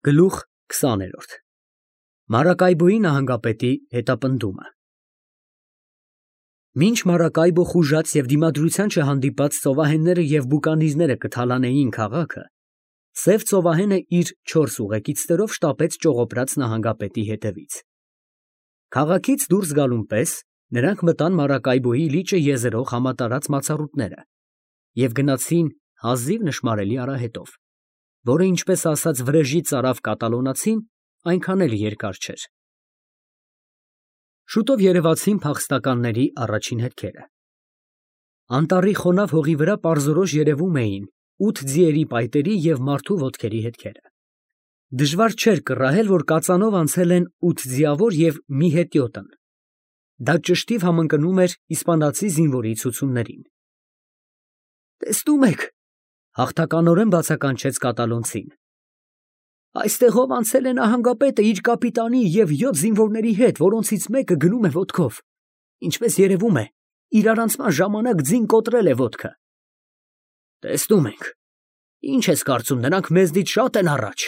Գլուխ 20 Մարակայբոյի նահանգապետի հետապնդումը Մինչ Մարակայբո խուժած և դիմադրության չհանդիպած ծովահենները և բուկանիզները կթալանեին քաղաքը, սև ծովահենը իր 4 ուղեկիցներով շտապեց ճողոպրած նահանգապետի հետևից։ Քաղաքից դուրս գալուն պես նրանք մտան Մարակայբոյի լիճը եզերող համատարած մացառուտները և գնացին հազիվ նշմարելի արահետով, որը, ինչպես ասած վրեժի ծարավ կատալոնացին, այնքան էլ երկար չէր։ Շուտով երևացին փախստականների առաջին հետքերը։ Անտառի խոնավ հողի վրա պարզորոշ երևում էին 8 ձիերի պայտերի և մարդու ոտքերի հետքերը։ Դժվար չէր կռահել, որ կածանով անցել են 8 ձիավոր և մի հետիոտն։ Դա ճշտիվ համընկնում էր իսպանացի զինվորի ցուցումներին։ Տեսնում եք, հաղթականորեն բացականչեց կատալոնցին, այստեղով անցել է նահանգապետը իր կապիտանի և 7 զինվորների հետ, որոնցից մեկը գնում է ոտքով, ինչպես երևում է, իրարանցման ժամանակ ձին կոտրել է ոտքը։ Տեսնում ենք, ինչ ես կարծում, նրանք մեզնից շատ են առաջ,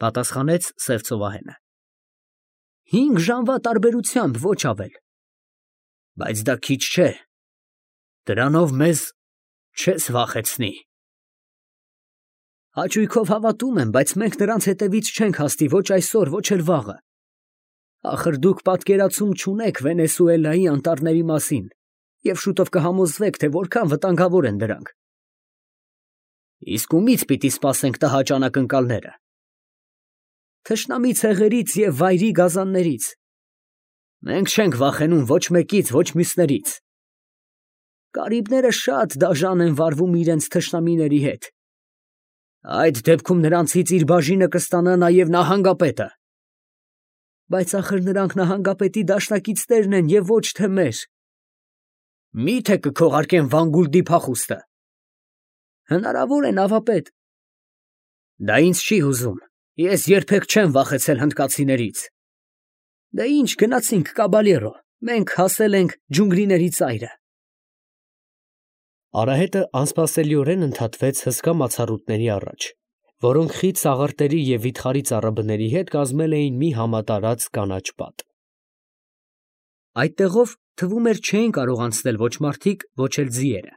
պատասխանեց սև ծովահենը։ 5 ժամվա տարբերությամբ, ոչ ավել։ Բայց դա քիչ չէ, դրանով մեզ չես վախեցնի։ Հաճույքով հավատում եմ, բայց մենք նրանց հետևից չենք հասնի ոչ այսօր, ոչ էլ վաղը։ Ախր դուք պատկերացում չունեք Վենեսուելայի անտառների մասին և շուտով կհամոզվեք, թե որքան վտանգավոր են դրանք։ Իսկ ումից պիտի սպասենք տհաճ անակնկալները։ Թշնամի ցեղերից և վայրի գազաններից։ Մենք չենք վախենում ոչ մեկից, ոչ մյուսներից։ Կարիբները շատ դաժան են վարվում իրենց թշնամիների հետ։ Այդ դեպքում նրանցից իր բաժինը կստանա նաև նահանգապետը։ Բայց ախր նրանք նահանգապետի դաշնակիցներն են և ոչ թե մեր։ Մի՞թե կքողարկեն Վանգուլդի փախուստը։ Հնարավոր է, նավապետ։ Դա ինձ չի հուզում, ես երբեք չեմ վախեցել հնդկացիներից։ Դե ինչ, գնացինք, կաբալյերո, մենք հասել ենք ջունգլիների ծայրը։ Արահետը անսպասելիորեն ընդհատվեց հսկա մացառուտների առաջ, որոնք խիտ սաղարթերի և վիթխարի ծառաբների հետ կազմել էին մի համատարած կանաչ պատ։ Այդտեղով թվում էր չէին կարող անցնել ոչ մարդիկ, ոչ էլ ձիերը։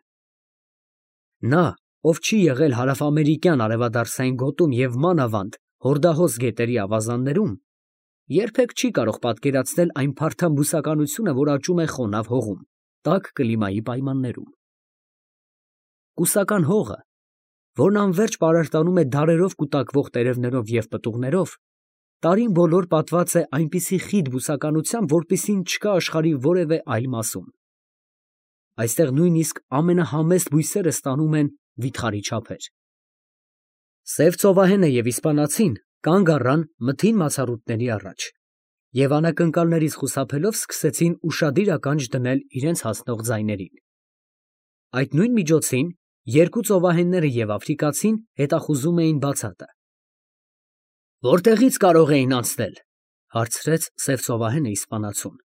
Նա, ով չի եղել հարավամերիկյան արևադարձային գոտում և մանավանդ հորդահոս գետերի ավազաններում, երբեք չի կարող պատկերացնել այն փարթամ բուսականությունը, որ աճում է խոնավ հողում, տաք կլիմայի պայմաններում։ Կուսական հողը, որն անվերջ պարարտանում է դարերով կուտակվող տերևներով և պտուղներով, տարին բոլոր պատված է այնպիսի խիտ բուսականությամբ, որպիսին չկա աշխարհի որևէ այլ մասում։ Այստեղ նույնիսկ ամենահամեստ բույսերը ստանում են վիթխարի չափեր։ Սև ծովահենը և իսպանացին կանգ առան մթին մացառուտների առաջ և անակնկալներից խուսափելով սկսեցին ուշադիր ականջ դնել իրենց հասնող ձայներին։ Այդ նույն միջոցին երկու ծովահենները և աֆրիկացին հետախուզում էին բացատը։ Որտեղի՞ց կարող էին անցնել, հարցրեց սև ծովահենը իսպանացուն։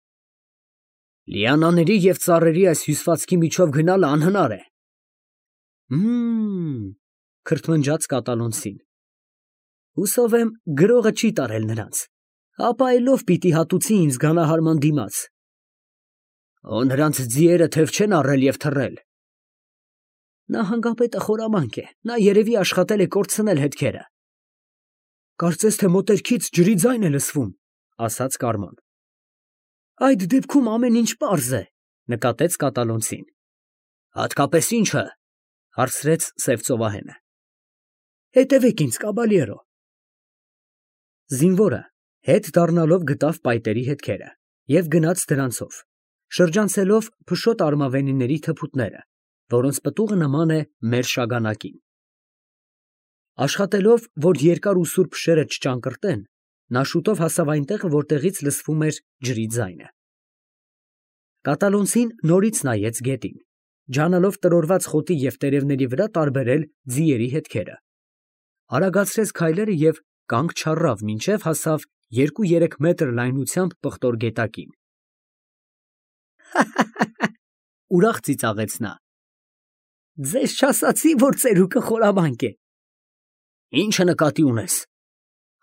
Լիանաների և ծառերի այս հյուսվածքի միջով գնալը անհնար է։ Քրթմնջաց կատալոնցին։ Հուսով եմ, գրողը չի տարել նրանց, ապա այլով պիտի հատուցի ինձ գանահարման դիմաց։ Նրանց ձիերը թև չեն առել և թռել։ Նահանգապետը խորամանկ է, նա երևի աշխատել է կորցնել հետքերը։ Կարծես թե մոտերքից ջրի ձայն է լսվում, ասաց Կարման։ Այդ դեպքում ամեն ինչ պարզ է, նկատեց կատալոնցին։ Հատկապես ի՞նչը, հարցրեց սև ծովահենը։ Հետևեք ինձ, կաբալյերո։ Զինվորը հետ դառնալով գտավ պայտերի հետքերը և գնաց դրանցով, շրջանցելով փշոտ արմավենիների թփուտները, որոնց պտուղը նման է մեր շագանակին։ Աշխատելով, որ երկար ու սուր փշերը չճանկռտեն, նա շուտով հասավ այնտեղ, որտեղից լսվում էր ջրի ձայնը։ Կատալոնցին նորից նայեց գետին, ջանալով տրորված խոտի և տերևների վրա տարբերել ձիերի հետքերը, արագացրեց քայլերը և կանգ չառավ, մինչև հասավ 2-3 մետր լայնությամբ պղտոր գետակին։ Ուրախ ծիծաղեց նա։ Ձեզ չասացի, որ ծերուկը խորամանկ է։ Ի՞նչը նկատի ունես։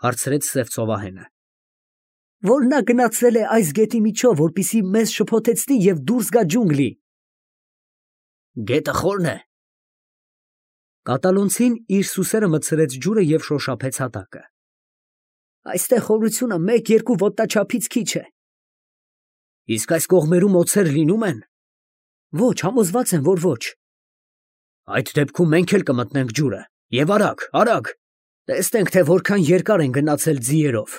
Հարցրեց Սև ծովահենը։ Որ նա գնացել է այս գետի միջով, որպեսզի մեզ շփոթեցնի եւ դուրս գա ջունգլի։ Գետը խորն է։ Կատալոնցին իր սուսերը մտցրեց ջուրը եւ շոշափեց հատակը։ Այստեղ խորությունը 1-2 ոտնաչափից քիչ է։ Իսկ այս կողմերում օձեր լինում են։ Ոչ, համոզված եմ, որ ոչ։ Այդ դեպքում մենք էլ կմտնենք ջուրը։ Եվ արագ, արագ։ Տեսնենք, թե որքան երկար են գնացել ձիերով։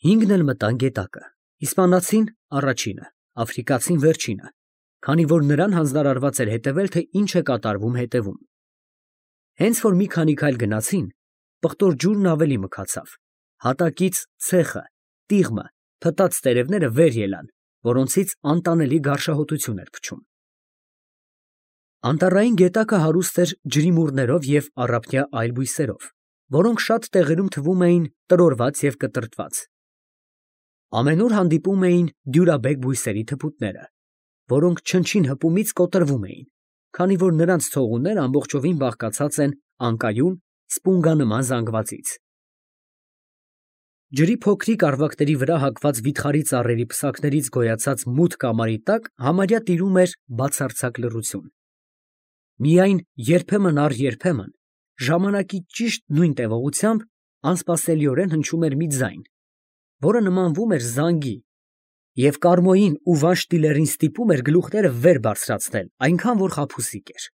5-ն էլ մտան գետակը։ Իսպանացին առաջինը, աֆրիկացին վերջինը, քանի որ նրան հանձնարարված էր հետևել, թե ինչ է կատարվում հետևում։ Հենց որ մի քանի քայլ գնացին, պղտոր ջուրն ավելի մքացավ։ Հատակից ցեխը, տիղմը, փտած տերևները վեր ելան, որոնցից անտանելի գարշահոտություն էր փչում։ Անտառային գետակը հարուստ էր ջրիմուռներով և առափնյա այլ բույսերով, որոնք շատ տեղերում թվում էին տրորված և կտրտված։ Ամենուր հանդիպում էին դյուրաբեկ բույսերի թփուտները, որոնք չնչին հպումից կոտրվում էին, քանի որ նրանց ցողունները ամբողջովին բաղկացած են անկայուն, սպունգանման զանգվածից։ Ջրի փոքրիկ առվակների վրա հագված վիթխարի ծառերի պսակներից գոյացած մութ կամարի տակ համարյա տիրում էր բացարձակ լռություն։ Միայն երբեմն առ երբեմն, ժամանակի ճիշտ նույն տևողությամբ, անսպասելիորեն հնչում էր մի ձայն, որը նմանվում էր զանգի, և Կարմոյին ու Վանշտիլերին ստիպում էր գլուխները վեր բարձրացնել, այնքան որ խաբուսիկ էր։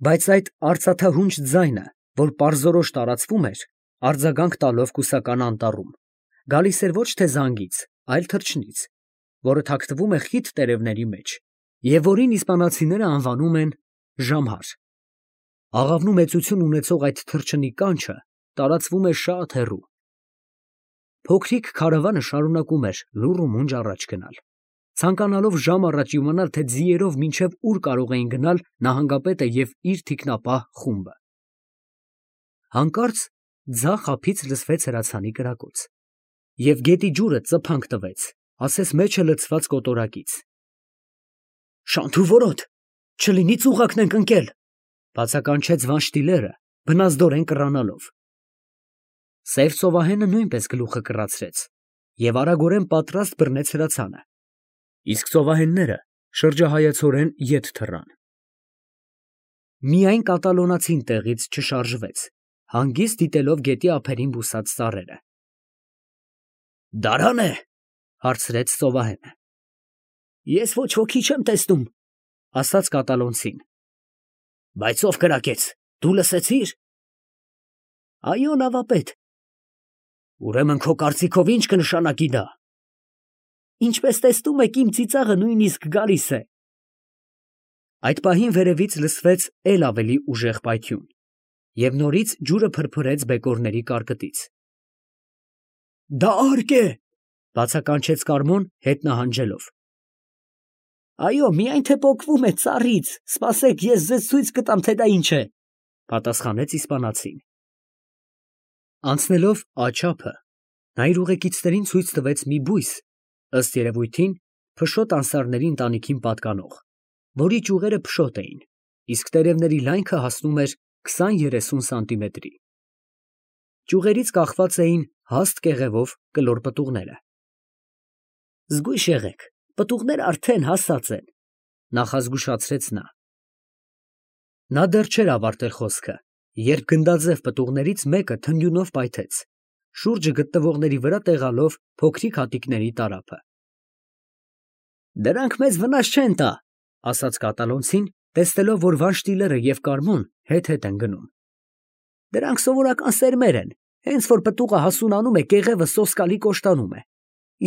Բայց այդ արծաթահունչ ձայնը, որ պարզորոշ տարածվում էր, արձագանք տալով կուսական անտառում, գալիս էր ոչ թե զանգից, այլ թռչնից, որը թաքնվում է խիտ տերևների մեջ, և որին իսպանացիները անվանում են ժամհար։ Աղավնու մեծություն ունեցող այդ թռչնի կանչը տարածվում է շատ հեռու։ Փոքրիկ քարավանը շարունակում էր լուռ ու մունջ առաջ գնալ, ցանկանալով ժամ առաջ իմանալ, թե ձիերով մինչև ուր կարող էին գնալ նահանգապետը և իր թիկնապահ խումբը։ Հանկարծ ձախ ափից լսվեց հրացանի կրակոց, և գետի ջուրը ծփանք տվեց, ասես մեջը լցված կոտորակից։ Շանթ ու որոտ, չլինի ծուղակն ենք ընկել, բացականչեց Վանշտիլերը, բնազդորեն կռանալով։ Սև ծովահենը նույնպես գլուխը կռացրեց և արագորեն պատրաստ բռնեց հրացանը, իսկ ծովահենները շրջահայացորեն ետ թռան։ Միայն կատալոնացին տեղից չշարժվեց, հանգիստ դիտելով գետի ափերին բուսած ծառերը։ Դարան է, հարցրեց ծովահենը։ Ես ոչ ոքի չեմ տեսնում, ասաց կատալոնցին։ Բայց ով կրակեց, դու լսեցի՞ր։ Այո, նավապետ։ Ուրեմն քո կարծիքով ինչ կնշանակի դա։ Ինչպես տեսնում եք, իմ ծիծաղը նույնիսկ գալիս է։ Այդ պահին վերևից լսվեց էլ ավելի ուժեղ պայթյուն, և նորից ջուրը փրփրեց բեկորների կարկտից։ Դա արկ է, բացականչեց Կարմոն հետ նահանջելով։ Այո, միայն թե պոկվում է ծառից, սպասեք, ես ձեզ ցույց կտամ, թե դա ինչ է, պատասխանեց իսպանացին։ Անցնելով աջ ափը, նա իր ուղեկիցներին ցույց տվեց մի բույս, ըստ երևույթին, փշոտ անսարների ընտանիքին պատկանող, որի ճյուղերը փշոտ էին, իսկ տերևների լայնքը հասնում էր 20-30 սանտիմետրի։ Ճյուղերից կախված էին հաստ կեղևով կլոր պտուղները։ Զգույշ եղեք, պտուղները արդեն հասած են, նախազգուշացրեց նա։ Նա դեռ չէր ավարտել խոսքը, երբ գնդաձև պտուղներից մեկը թնդյունով պայթեց, շուրջը գտնվողների վրա տեղալով փոքրիկ հատիկների տարափը։ Դրանք մեզ վնաս չեն տա, ասաց կատալոնցին, տեսնելով, որ Վանշտիլերը և Կարմոն հետ-հետ են գնում։ Դրանք սովորական սերմեր են, հենց որ պտուղը հասունանում է, կեղևը սոսկալի կոշտանում է,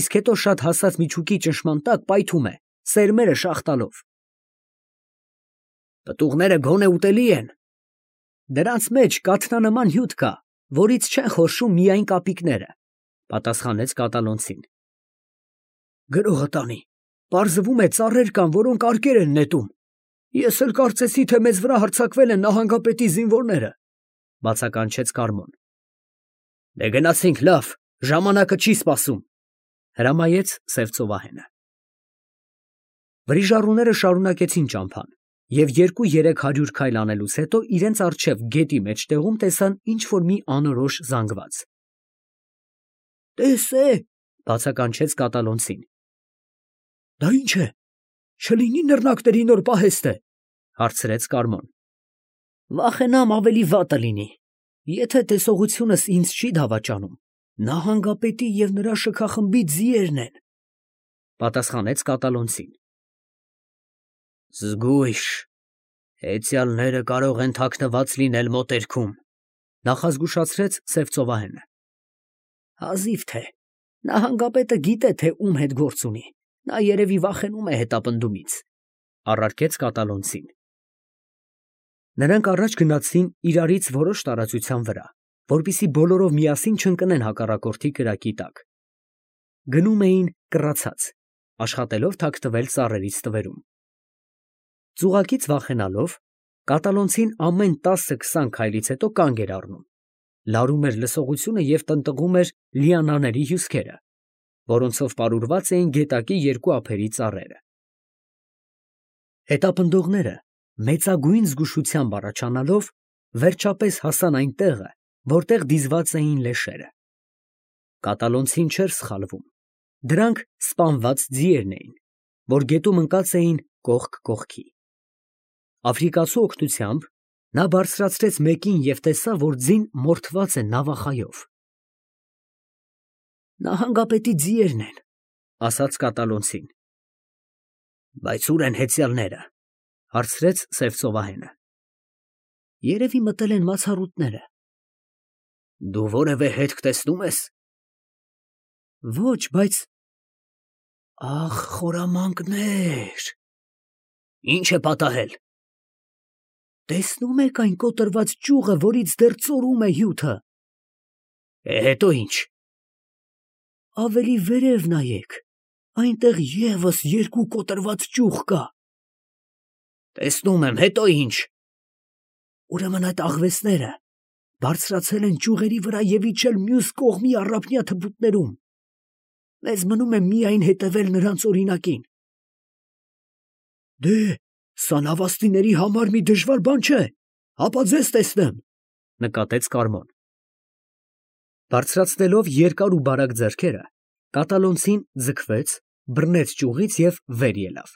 իսկ հետո շատ հասած միջուկի ճնշման տակ պայթում է, սերմերը շաղ տալով։ Պտուղները գոնե ուտելի են։ Դրանց մեջ կաթնանման հյութ կա, որից չեն խորշում միայն կապիկները, պատասխանեց կատալոնցին։ Գրողը տանի, պարզվում է ծառեր կան, որոնք արկեր են նետում։ Ես էլ կարծեցի, թե մեզ վրա հարձակվել են նահանգապետի զինվորները, բացականչեց Կարմոն։ Դե գնացինք, լավ, ժամանակը չի սպասում, հրամայեց Սև ծովահենը։ Վրիժառուները շարունակեցին ճամփան և 200-300 քայլ անելուց հետո իրենց առջև գետի մեջտեղում տեսան ինչ-որ մի անորոշ զանգված։ «Տես է», բացականչեց կատալոնցին։ «Դա ի՞նչ է, չլինի նռնակների նոր պահեստ է», հարցրեց Կարմոն։ «Վախենամ ավելի վատը լինի, եթե տեսողությունս ինձ չի դավաճանում, նահանգապետի և նրա շքախմբի ձիերն են», պատասխանեց կատալոնցին։ «Զգույշ, հեծյալները կարող են թաքնված լինել մոտերքում», նախազգուշացրեց սև ծովահենը։ «Հազիվ թե, նահանգապետը գիտե, թե ում հետ գործ ունի, նա երևի վախենում է հետապնդումից», առարկեց կատալոնցին։ Նրանք առաջ գնացին իրարից որոշ տարածության վրա, որպեսզի բոլորով միասին չընկնեն հակառակորդի կրակի տակ։ Գնում էին կռացած, աշխատելով թաքնվել ծառերից տվերում։ Ծուղակից վախենալով, կատալոնցին ամեն 10-20 քայլից հետո կանգ էր առնում, լարում էր լսողությունը և տնտղում էր լիանաների հյուսքերը, որոնցով պարուրված էին գետակի երկու ափերի ծառերը։ Հետապնդողները մեծագույն զգուշությամբ առաջանալով վերջապես հասան այն տեղը, որտեղ դիզված էին լեշերը։ Կատալոնցին չէր սխալվում, դրանք սպանված ձիերն էին, որ գետում ընկած էին կողք կողքի։ Աֆրիկացու օգնությամբ նա բարձրացրեց մեկին և տեսավ, որ ձին մորթված է նավախայով։ «Նահանգապետի ձիերն են», ասաց կատալոնցին։ «Բայց ո՞ւր են հեծյալները», հարցրեց սև ծովահենը։ «Երևի մտել են մացառուտները»։ «Դու որևէ հետք տեսնում ես»։ «Ոչ, բայց…» «Ախ, խորամանկներ»։ «Ի՞նչ է պատահել»։ «Տեսնում եք այն կոտրված ճյուղը, որից դեռ ծորում է հյութը»։ «Հետո ի՞նչ»։ «Ավելի վերև նայեք, այնտեղ ևս երկու կոտրված ճյուղ կա»։ «Տեսնում եմ, հետո ի՞նչ»։ «Ուրեմն այդ աղվեսները բարձրացել են ճյուղերի վրա և իջել մյուս կողմի առափնյա թփուտներում։ Մեզ մնում է միայն հետևել նրանց օրինակին»։ «Դե, սա նավաստիների համար մի դժվար բան չէ, հապա ձեզ տեսնեմ», նկատեց Կարմոն։ Բարձրացնելով երկար ու բարակ ձեռքերը, կատալոնցին ձգվեց, բռնեց ճյուղից և վեր ելավ։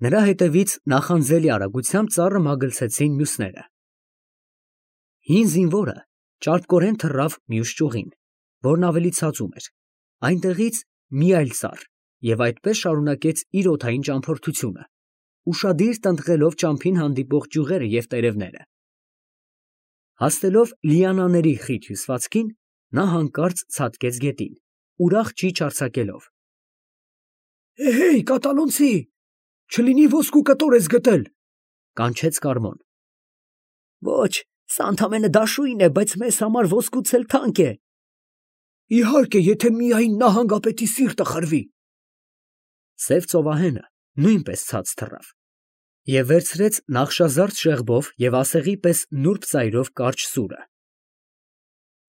Նրա հետևից նախանձելի արագությամբ ծառը մագլցեցին մյուսները։ Հին զինվորը ճարպկորեն թռավ մյուս ճյուղին, որն ավելի ցածում էր, այնտեղից մի այլ ծառ և այդպես շարունակեց իր օդային ճամփորդությունը, ուշադիր տնտղելով ճամփին հանդիպող ճյուղերը և տերևները։ Հասնելով լիանաների խիտ հյուսվածքին, նա հանկարծ ցատկեց գետին, ուրախ ճիչ արձակելով։ «Հեյ, կատալոնցի, չլինի ոսկու կտոր ես գտել», կանչեց Կարմոն։ «Ոչ, սա ընդամենը դաշույն է, բայց մեզ համար ոսկուց էլ թանկ է»։ «Իհարկե, եթե միայն նահանգապետի սիրտը խրվի»։ Սև ծովահենը նույնպես ցած թռավ և վերցրեց նախշազարդ շեղբով և ասեղի պես նուրբ ծայրով կարճ սուրը։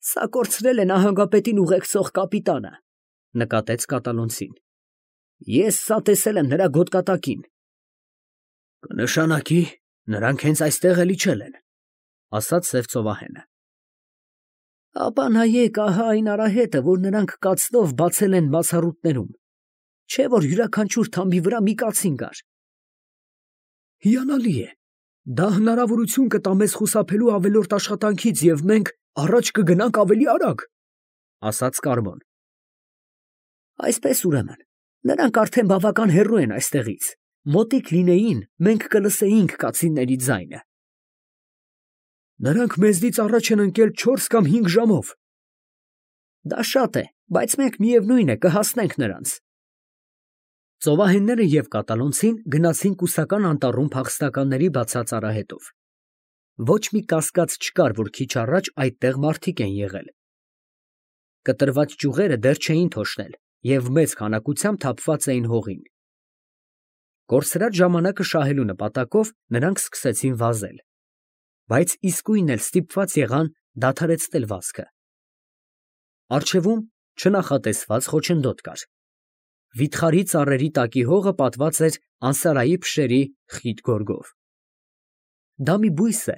«Սա կորցրել է նահանգապետին ուղեկցող կապիտանը», նկատեց կատալոնցին։ «Ես սա տեսել եմ նրա գոտկատակին»։ «Կնշանակի, նրանք հենց այստեղ էլ իջել են», ասաց սև ծովահենը։ «Ապա նայեք, ահա այն արահետը, որ նրանք կացնով բացել են բացառուտներում, չէ՞ որ յուրաքանչյուր թամբի վրա մի կացին կար»։ «Հիանալի է, դա հնարավորություն կտա մեզ խուսափելու ավելորդ աշխատանքից և մենք առաջ կգնանք ավելի արագ», ասաց Կարմոն։ «Այսպես ուրեմն, նրանք արդեն բավական հեռու են այստեղից, մոտիկ լինեին, մենք կլսեինք կացինների ձայնը»։ «Նրանք մեզնից առաջ են ընկել 4 կամ 5 ժամով»։ «Դա շատ է, բայց մենք միևնույն է կհասնենք նրանց»։ Ծովահենները և կատալոնցին գնացին կուսական անտառում փախստականների բացած արահետով։ Ոչ մի կասկած չկար, որ քիչ առաջ այդտեղ մարդիկ են եղել։ Կտրված ճյուղերը դեռ չէին թոշնել և մեծ քանակությամբ թափված էին հողին։ Կորսրած ժամանակը շահելու նպատակով նրանք սկսեցին վազել, բայց իսկույն էլ ստիպված եղան դադարեցնել վազքը։ Առջևում չնախատեսված խոչընդոտ կար։ Վիթխարի ծառերի տակի հողը պատված էր անսարայի փշերի խիտ գորգով։ Դա մի բույս է,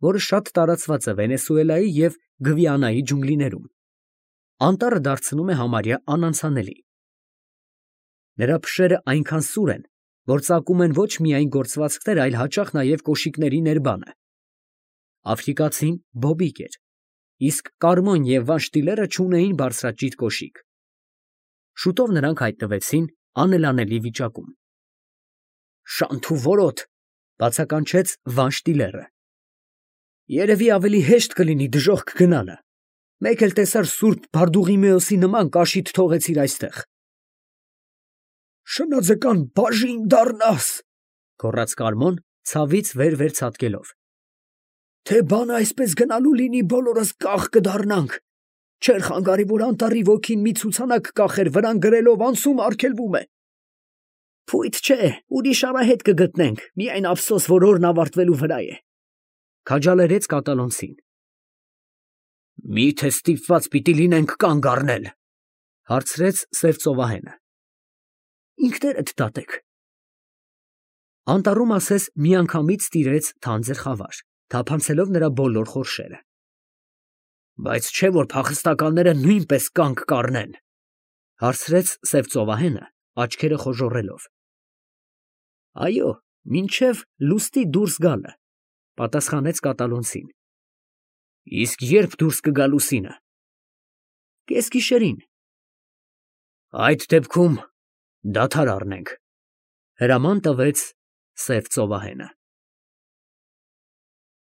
որը շատ տարածված է Վենեսուելայի և Գվիանայի ջունգլիներում։ Անտառը դարձնում է համարյա անանցանելի։ Նրա փշերը այնքան սուր են, որ ծակում են ոչ միայն գործվածքներ, այլ հաճախ նաև կոշիկների ներբանը։ Աֆրիկացին բոբիկ էր, իսկ Կարմոն և Վանշտիլերը չունեին բարձրաճիտ կոշիկ։ Շուտով նրանք հայտնվեցին անելանելի վիճակում։ «Շանթ ու որոտ», բացականչեց Վանշտիլերը։ «Երևի ավելի հեշտ կլինի դժոխք գնալը։ Մեկ էլ տեսար սուրբ Բարդուղիմեոսի նման կաշիդ թողեցիր այստեղ»։ «Շնաձկան բաժին դառնաս», գոռաց Կարմոն, ցավից վեր ցատկելով։ «Թե բանը այսպես գնալու լինի, բոլորս կախ կդառնանք։ Չէր խանգարի, որ անտառի ոգին մի ցուցանակ կախեր, վրան գրելով անցում արգելվում է։ Փույթ չէ, ուրիշ արահետ կգտնենք, միայն ափսոս, որ օրն ավարտվելու վրա է», քաջալերեց կատալոնցին։ «Մի՞թե ստիպված պիտի լինենք կանգ առնել», հարցրեց սև ծովահենը։ «Ինքներդ դատեք»։ Անտառում ասես միանգամից տիրեց թանձր խավար, թափանցելով նրա բոլոր խորշերը։ «Բայց չէ՞ որ փախստականները նույնպես կանգ կառնեն», հարցրեց սև ծովահենը, աչքերը խոժոռելով։ «Այո, մինչև լուսնի դուրս գալը», պատասխանեց կատալոնցին։ «Իսկ ե՞րբ դուրս կգա լուսինը»։ «Կեսգիշերին»։ «Այդ դեպքում դադար առնենք», հրաման տվեց սև ծովահենը։